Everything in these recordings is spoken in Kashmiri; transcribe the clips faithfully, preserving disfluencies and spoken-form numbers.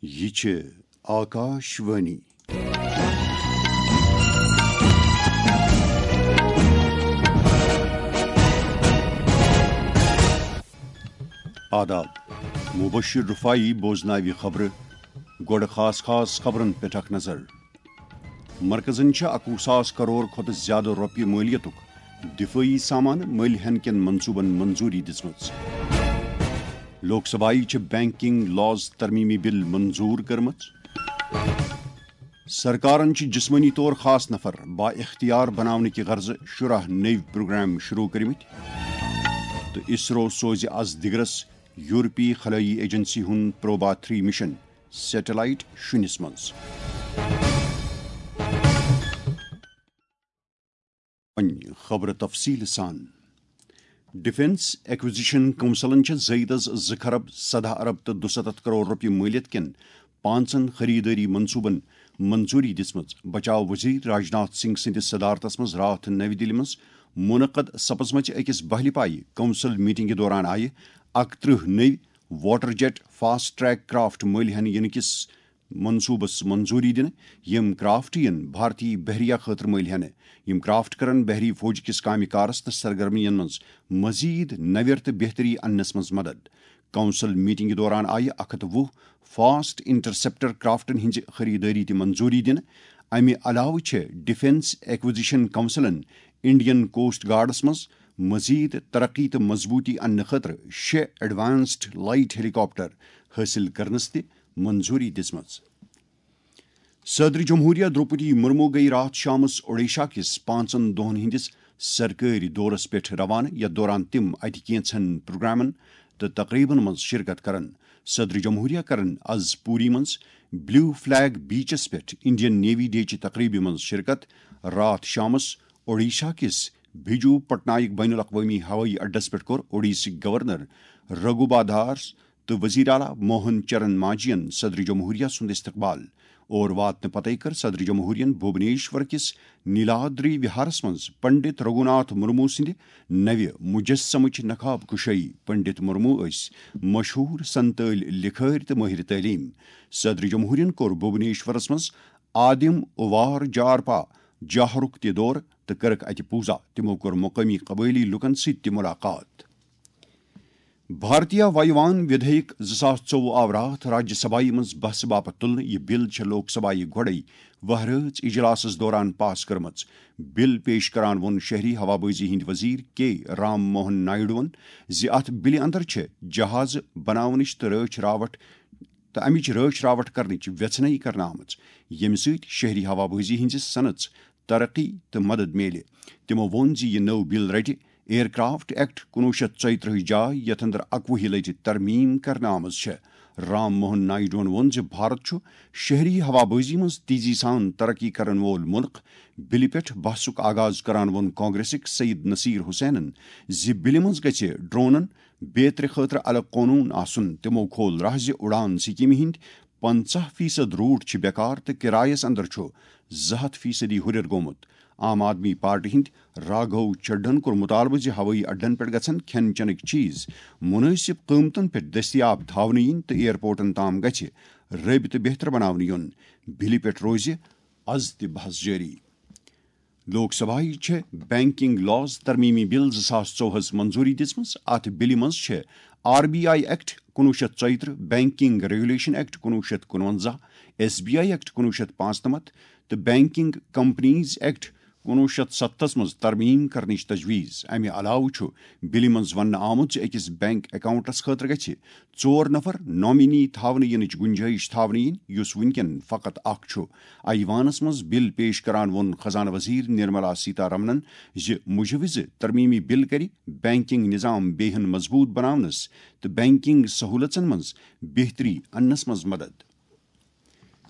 یہِ چھِ آکاش وانی۔ آداب۔ مبشر رفاعی بوزناوِ خبرٕ۔ گۄڈٕ خاص خاص خبرن پٮ۪ٹھ اکھ نظر۔ مرکزن چھِ اَکوُہ ساس کرور کھۄتہٕ زیادٕ رۄپیہِ مٲلیتُک دفٲعی سامان مٔلۍ ہٮ۪نہٕ کٮ۪ن منصوٗبن منظوٗری دِژمٕژ۔ لوک سبھایہِ چھِ بینکنگ لاز ترمیمی بل منظوٗر کٔرمٕژ۔ سرکارن چھِ جسمٲنی طور خاص نفر با اختیار بناونہٕ کہِ غرضہٕ شُراہ نٔوۍ پروگرام شروع کٔرمٕتۍ تہٕ اسرو سوزِ از دِگرس یورپی خلٲیی ایجنسی ہُنٛد پروبا تھری مشن سیٹلائٹ شُنِس منٛز۔ وۄنۍ خبرٕ تفصیٖل سان۔ ڈیفنس ایکوزیشن کونسلن چھےٚ زٲیدس زٕ خرب سداہ ارب تہٕ دُستتھ کرور رۄپیہِ مٲلیت کٮ۪ن پانٛژن خریدٲری منصوٗبن منظوٗری دِژمٕژ۔ بچاو وزیر راجناتھ سنگھ سٕنٛدِس صدارتس منٛز راتھ نَوِ دِلہِ منٛز منعقد سپزمژِ أکِس بہلہِ پایہِ کونسل میٹنگہِ دوران آیہِ اکترٕہ نٔوۍ water jet fast track craft مٔلۍ ہٮ۪نہٕ یِنہٕ کِس منصوٗبس منظوٗری دِنہٕ، یِم کرافٹ یِن بھارتی بحریہ خٲطرٕ مٔلۍ ہٮ۪نہٕ۔ یِم کرافٹ کرن بحری فوج کِس کامہِ کارس تہٕ سرگرمین منٛز مزید نویر تہٕ بہتری اننس منٛز مدد۔ کونسل میٹنگہِ دوران آیہِ اکھ ہتھ وُہ فاسٹ انٹرسپٹر کرافٹن ہٕنٛزِ خریدٲری تہِ منظوٗری دِنہٕ۔ امہِ علاوٕ چھےٚ ڈیفنس ایکوزیشن کونسلن انڈین کوسٹ گارڈس منٛز مزید ترقی تہٕ مضبوٗطی اننہٕ خٲطرٕ شےٚ ایڈوانسڈ لائٹ ہیلی کاپٹر حٲصِل کرنس تہِ منظوٗری دِژمٕژ۔ صدر جمہوریہ درٛوپدی مرمو گٔیہِ راتھ شامس اوڈیشہ کِس پانٛژن دۄہن ہٕنٛدِس سرکٲرۍ دورس پٮ۪ٹھ روانہٕ، یتھ دوران تِم اتہِ کینٛژن پروگرامن تہٕ تقریبن منٛز شرکت کرن۔ صدر جمہوریہ کرن از پوری منٛز بلیو فلیگ بیچس پٮ۪ٹھ انڈین نیوی ڈے چہِ تقریبہِ منٛز شرکت۔ راتھ شامس اوڈیشہ کِس بھجو پٹنائک بین الاقوامی ہوٲیی اڈس پٮ۪ٹھ کوٚر اوڈیشہ گورنر رگھو بادھار تہٕ وزیر اعلیٰ موہن چرن مانجھین صدر جمہوریہ سُنٛد استقبال۔ اور واتنہٕ پتے کٔر صدر جمہوریہن بھوبنیشور کِس نیلادری وہارس منٛز پنڈت رگھوناتھ مرمو سٕنٛدِ نوِ مجسمٕچ نقاب کشٲیی۔ پنڈت مرمو ٲسۍ مشہوٗر سنتٲلۍ لکھٲرۍ تہٕ مٲہر تعلیٖم۔ صدر جمہوریہن کوٚر بھوبنیشورس منٛز آدم اوار جارپا جاہرُک تہِ دورٕ تہٕ کٔرٕکھ اتہِ پوزا۔ تِمو کوٚر مقٲمی قبٲیلی لوٗکن سۭتۍ تہِ ملاقات۔ بھارتیہ وایوان ودھیک زٕ ساس ژوٚوُہ آو راتھ راجیہ سبھایہ منٛز بحثہٕ باپتھ تُلنہٕ۔ یہِ بل چھےٚ لوک سبھایہ گۄڈَے وہرٲژ اجلاسس دوران پاس کٔرمٕژ۔ بل پیش کران ووٚن شہری ہوابازی ہٕنٛدۍ وزیر کے رام موہن نائیڈوَن زِ اتھ بلہِ اندر چھےٚ جہازٕ بناونٕچ تہٕ رٲچھ راوٹھ تہٕ امِچ رٲچھ راوٹھ کرنٕچ ویژھنٲیی کرنہٕ آمٕژ، ییٚمہِ سۭتۍ شہری ہوابازی ہٕنٛزِ صنعژ ترقی تہٕ مدد میلہِ۔ تِمو ووٚن زِ یہِ نٔو بل رٹہِ ایئر کرافٹ ایکٹ کُنوُہ شیٚتھ ژۄیہِ ترٕٛہ جاے، یتھ اندر اکوُہہِ لٹہِ ترمیم کرنہٕ آمٕژ چھےٚ۔ رام موہن نائیڈوَن ووٚن زِ بھارت چھُ شہری ہوابازی منٛز تیزی سان ترقی کرن وول مُلک۔ بلہِ پٮ۪ٹھ بحثُک آغاز کران ووٚن کانگریسٕکۍ سید نصیر حسینن زِ بلہِ منٛز گژھِ ڈرونن بیترِ خٲطرٕ الگ قونوٗن آسُن۔ تِمو کھول راہ زِ اُڑان سکیمہِ ہٕنٛدۍ پنٛژاہ فیصد روٹ چھِ بیکار تہٕ کرایس اندر چھُ زٕ ہتھ فیصدی ہُرٮ۪ر گوٚمُت۔ عام آدمی پارٹی ہٕنٛدۍ راگھو چڈھن کوٚر مطالبہٕ زِ ہوٲیی اڈن پٮ۪ٹھ گژھن کھٮ۪ن چٮ۪نٕکۍ چیز مناسب قۭمتن پٮ۪ٹھ دٔستیاب تھاونہٕ یِنۍ تہٕ ایئرپورٹن تام گژھِ رٲبطہٕ بہتر بناونہٕ یُن۔ بلہِ پٮ۪ٹھ روزِ از تہِ بحث جٲری۔ لوک سبھایہ چھےٚ بینکنگ لاز ترمیمی بل زٕ ساس ژوٚوُہس منظوٗری دِژمٕژ۔ اتھ بلہِ منٛز چھےٚ آر بی آئی ایکٹ کُنوُہ شیٚتھ ژۄیہِ ترٕٛہ، بینکنگ ریگولیشن ایکٹ کُنوُہ شیٚتھ کُنوَنزاہ، ایس بی آئی ایکٹ کُنوُہ شیٚتھ پانٛژنَمتھ تہٕ بینکنگ کمپنیز ایکٹ کُنوُہ شیٚتھ ستتھس منٛز ترمیم کرنٕچ تجویز۔ امہِ علاوٕ چھُ بلہِ منٛز وننہٕ آمُت زِ أکِس بینک اکاؤنٹس خٲطرٕ گژھِ ژور نفر نامینی تھاونہٕ یِنٕچ گنجائش تھاونہٕ یِنۍ، یُس وُنکٮ۪ن فقط اکھ چھُ۔ ایوانس منٛز بل پیش کران ووٚن خزانہٕ وزیر نرملا سیتارمنن زِ مجوزٕ ترمیمی بل کرِ بینکنگ نظام بیٚیہِ ہن مضبوط بناونس تہٕ بینکنگ سہولژن منٛز بہتری اننس منٛز مدد۔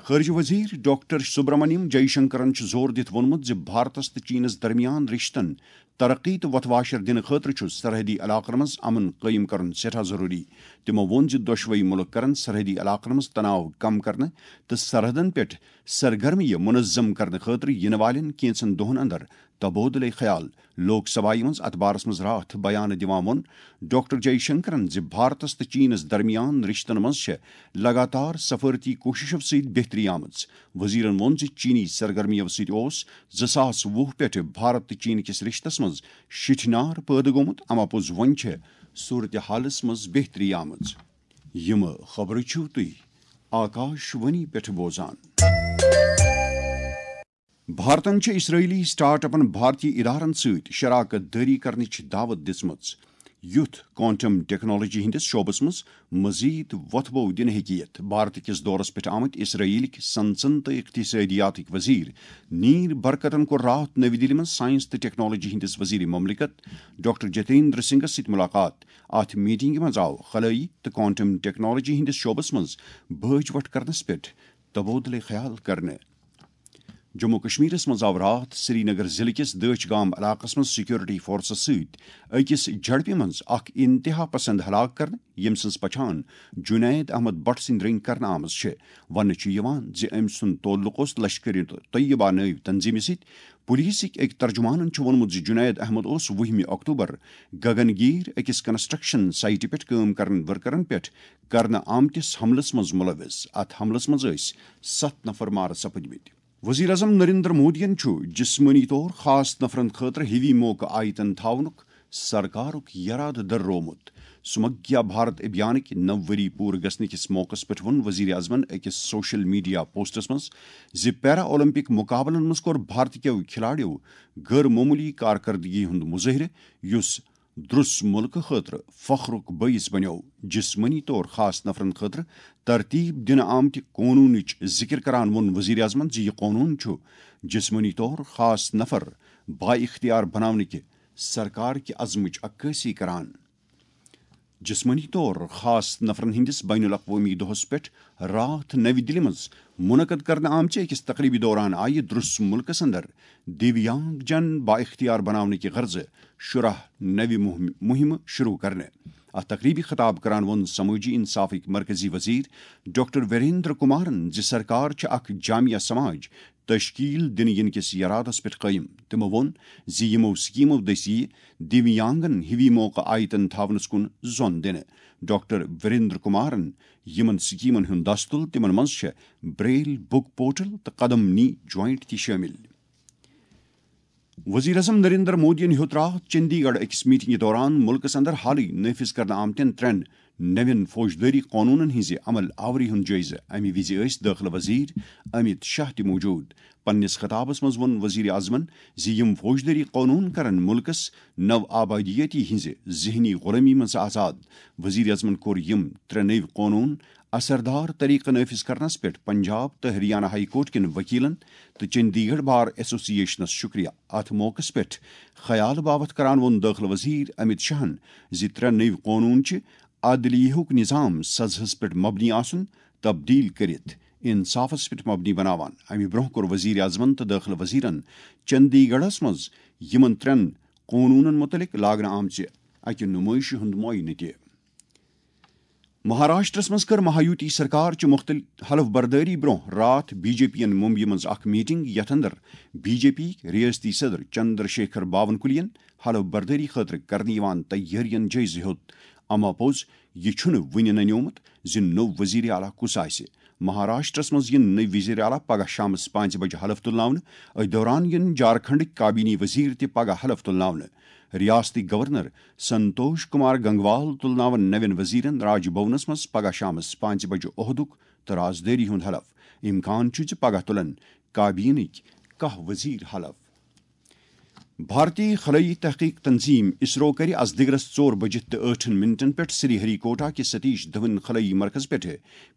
خارجہ وزیر ڈاکٹر سبرامنیم جے شنکرن چھُ زور دِتھ ووٚنمُت زِ بھارتس تہٕ چینس درمیان رشتن ترقی تہٕ وۄتھٕ واشر دِنہٕ خٲطرٕ چھُ سرحدی علاقن منٛز امن قٲیِم کرُن سٮ۪ٹھاہ ضروٗری۔ تِمو ووٚن زِ دۄشوٕے مُلک کرن سرحدی علاقن منٛز تناو کم کرنہٕ تہٕ سرحدن پٮ۪ٹھ سرگرمیہِ منظم کرنہٕ خٲطرٕ یِنہٕ والٮ۪ن کینٛژن دۄہن اندر تبادلے خیال۔ لوک سبھایہ منٛز اتھ بارس منٛز راتھ بیان دِوان ووٚن ڈاکٹر جے شنکرن زِ بھارتس تہٕ چینس درمیان رشتن منٛز چھےٚ لگاتار سفارتی کوٗششو سۭتۍ بہتری آمٕژ۔ وزیرن ووٚن زِ چینی سرگرمیو سۭتۍ اوس زٕ ساس وُہ پٮ۪ٹھٕ بھارت تہٕ چین کِس رشتس منٛز شِٹھنار پٲدٕ گوٚمُت، اما پوٚز وۄنۍ چھےٚ صورتحالس منٛز بہتری آمٕژ۔ یِم خبرٕ چھِو تُہۍ آکاش وانی پٮ۪ٹھ بوزان۔ بھارتن چھِ اسرائیلی سٹارٹ اپن بھارتی ادارن سۭتۍ شراکت دٲری کرنٕچ دعوت دِژمٕژ، یُتھ کوانٹم ٹیکنالوجی ہٕنٛدِس شعبس منٛز مزید وۄتھٕ بو دِنہٕ ہیٚکہِ یِتھ۔ بھارت کِس دورس پٮ۪ٹھ آمٕتۍ اسرائیلٕکۍ صنعژن تہٕ اقتصٲدیاتٕکۍ وزیر نیر برکتن کوٚر راتھ نٔوِ دِلہِ منٛز ساینس تہٕ ٹیکنالوجی ہٕنٛدِس وزیر مملکت ڈاکٹر جتیندر سنگھس سۭتۍ ملاقات۔ اتھ میٹنگہِ منٛز آو خلٲیی تہٕ کوانٹم ٹیکنالوجی ہٕنٛدِس شعبس منٛز بٲج وٹھ کرنس پٮ۪ٹھ تبادلہٕ خیال کرنہٕ۔ جموں و کشمیرس منٛز آو راتھ سرینگر ضلعہٕ کِس دٲچھ گام علاقس منٛز سیکورٹی فورسس سۭتۍ أکِس جھڑپہِ منٛز اکھ انتہا پسند ہلاک کرنہٕ، ییٚمہِ سٕنٛز پہچان جنید احمد بٹ سٕنٛدۍ رٔنگۍ کرنہٕ آمٕژ چھِ۔ وننہٕ چھُ یِوان زِ أمۍ سُنٛد تعلق اوس لشکر طیبہ نٲوۍ تنظیمہِ سۭتۍ۔ پولیسٕکۍ أکۍ ترجمانن چھُ ووٚنمُت زِ جنید احمد اوس وُہمہِ اکتوبر گگن گیر أکِس کنسٹرکشن سائٹہِ پٮ۪ٹھ کٲم کرن ورکرن پٮ۪ٹھ کرنہٕ آمتِس حملس منٛز ملوث۔ اتھ حملس منٛز ٲسۍ ستھ نفر مارٕ سپٕدمٕتۍ۔ وزیر اعظم نریندر مودیَن چھُ جسمٲنی طور خاص نفرن خٲطرٕ ہِوی موقعہٕ آیتن تھاونُک سرکارُک یرادٕ دٔررومُت۔ سمگیا بھارت ابھیانٕکۍ نو ؤری پوٗرٕ گژھنہٕ کِس موقعس پٮ۪ٹھ ووٚن وزیر اعظمن أکِس سوشل میڈیا پوسٹس منٛز زِ پیرا اولمپک مقابلن منٛز کوٚر بھارت کیو کھلاڑیو غٲر معموٗلی کارکردگی ہُنٛد مظٲہرٕ، یُس درس ملکہٕ خٲطرٕ فخرُک بٲعث بنیو۔ جسمٲنی طور خاص نفرن خٲطرٕ ترتیب دِنہٕ آمتہِ قونوٗنٕچ ذِکر کران ووٚن وزیر اعظمن زِ یہِ قونوٗن چھُ جسمٲنی طور خاص نفر بااختیار بناونٕکہِ سرکار کہِ عزمٕچ عکٲسی کران۔ جسمٲنی طور خاص نفرن ہٕنٛدِس بین الاقوٲمی دۄہس پٮ۪ٹھ راتھ نَوِ دِلہِ منٛز منعقد کرنہٕ آمژِ أکِس تقریبہِ دوران آیہِ درس ملکس اندر دیویانگ جن بااختیار بناونٕکہِ غرضہٕ شُراہ نوِ مہم-، مہمہٕ شروع کرنہٕ۔ اتھ تقریبہِ خطاب کران ووٚن سمٲجی انصافٕکۍ مرکزی وزیر ڈاکٹر ویریندر کمارن زِ سرکار چھِ اکھ جامع سماج تشکیل دِنہٕ یِنہٕ کِس یرادس پٮ۪ٹھ قٲیِم۔ تِمو ووٚن زِ یِمو سکیمو دٔسۍ یِیہِ دیویانگن ہِوی موقعہٕ آیتن تھاونس کُن زۄن دِنہٕ۔ ڈاکٹر وریندر کمارن یِمن سکیمن ہُنٛد دستُل، تِمن منٛز چھےٚ بریل بک پورٹل تہٕ قدم نی جوائنٹ تہِ شٲمِل۔ وزیر اعظم نریندر مودیَن ہیوٚت راتھ چندی گڑھ أکِس میٹنگہِ دوران ملکس اندر حالٕے نافذ کرنہٕ آمتٮ۪ن ترٛٮ۪ن نوٮ۪ن فوجدٲری قونوٗنن ہٕنٛزِ عمل آوری ہُنٛد جٲیزٕ۔ امہِ وِزِ ٲسۍ دٲخلہٕ وزیر امیت شاہ تہِ موجود۔ پننِس خطابس منٛز ووٚن وزیر اعظمن زِ یِم فوجدٲری قونوٗن کرن ملکس نو آبادیٲتی ہٕنٛزِ ذہنی غلٲمی منٛز آزاد۔ وزیر اعظمن کوٚر یِم ترٛےٚ نٔوۍ قونوٗن اثردار طریقہٕ نافذ کرنس پٮ۪ٹھ پنجاب تہٕ ہریانہ ہائی کورٹ کٮ۪ن وکیلن تہٕ چندی گڑھ بار ایسوسی ایشنس شکریہ۔ اتھ موقعس پٮ۪ٹھ خیال باوتھ کران ووٚن دٲخلہٕ وزیر امیت شاہن زِ ترٛےٚ نٔوۍ قونوٗن چھِ عدلیہُک نظام سزہس پٮ۪ٹھ مبنی آسُن تبدیل کٔرِتھ انصافس پٮ۪ٹھ مبنی بناوان۔ امہِ برونٛہہ کوٚر وزیر اعظمن تہٕ دٲخلہٕ وزیرن چندی گڑھس منٛز یِمن ترٛٮ۪ن قونوٗنن مُتعلق لاگنہٕ آمژِ اکہِ نُمٲیشہِ ہُنٛد معاینہٕ تہِ۔ مہاراشٹرس منٛز کٔر مہایوتی سرکار چہِ مُختٔلِف حلف بردٲری برونٛہہ راتھ بی جے پی ین ممبیہِ منٛز اکھ میٹنگ، یتھ اندر بی جے پی ریاستی صدر چندر شیکھر باونکلیَن حلف بردٲری خٲطرٕ کرنہٕ یِوان تیٲرین جٲیزٕ ہیوٚت۔ اما پوٚز، یہِ چھُنہٕ وُنہِ ننیومُت زِ نوٚو وزیر اعلیٰ کُس آسہِ۔ مہاراشٹرس منٛز یِن نٔوۍ وزیر اعلیٰ پگاہ شامس پانٛژِ بجہِ حلف تُلناونہٕ۔ أتھۍ دوران یِن جھارکھنڈٕکۍ کابینی وزیر تہِ پگاہ حلف تُلناونہٕ۔ ریاستٕکۍ گورنر سنتوش کمار گنگوال تُلناون نوٮ۪ن وزیرن راج بھونس منٛز پگاہ شامس پانٛژِ بجہِ عہدُک تہٕ رازدٲری ہُنٛد حلف۔ امکان چھُ زِ پگاہ تُلن کابینٕکۍ کاہ وزیر حلف۔ بھارتی خلٲیی تحقیق تنظیم اسرو کرِ از دِگرس ژور بجہِ تہٕ ٲٹھن منٹن پٮ۪ٹھ سری ہری کوٹا کِس ستیش دھون خلٲیی مرکز پٮ۪ٹھ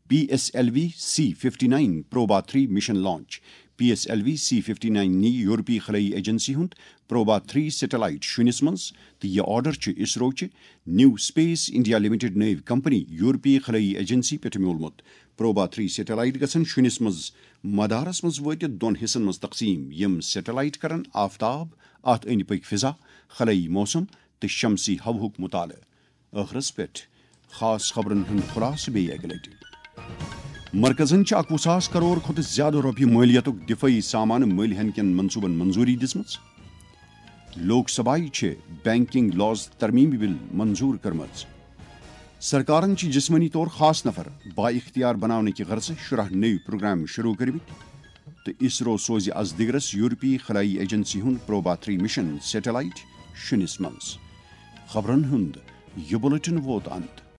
P S L V C fifty nine Proba three mission launch. P S L V C fifty nine نی یورپی خلٲیی ایجنسی ہُنٛد پروبا تھری سیٹلائٹ شُنِس منٛز، تہٕ یہِ آرڈر چھُ اسرو چہِ نیو اسپیس انڈیا لمیٹڈ نٲوۍ کمپنی یورپی خلٲیی ایجنسی پٮ۪ٹھ میوٗلمُت۔ پروبا تھری سیٹلائٹ گژھن شُنِس منٛز مدارس منٛز وٲتِتھ دۄن حصن منٛز تقسیٖم، یِم سیٹلائٹ کرن آفتاب، اتھ أنٛدۍ پٔکۍ فضا، خلٲیی موسم تہٕ شمسی ہوہُک مطالعہٕ۔ ٲخرس پٮ۪ٹھ خاص خبرن ہُنٛد خلاصہٕ بیٚیہِ اکہِ لٹہِ۔ مرکزن چھِ اکوُہ ساس کرور کھۄتہٕ زیادٕ رۄپیہِ مٲلیتُک دفٲعی سامان مٔلۍ ہینہٕ کٮ۪ن منصوبن منظوری دِژمٕژ۔ لوک سبھایہ چھِ بینکنگ لاز ترمیمی بل منظور کٔرمٕژ۔ سرکارن چھِ جسمٲنی طور خاص نفر با اختیار بناونہٕ کہِ غرضہٕ شُراہ نٔوۍ پروگرام شروع کٔرمٕتۍ، تہٕ اسرو سوزِ از دِگرس یورپی خلٲیی ایجنسی ہُنٛد پروبا تھری مشن سیٹلائٹ شُنِس منٛز۔ خبرن ہُنٛد یہِ بلیٹن ووت انت۔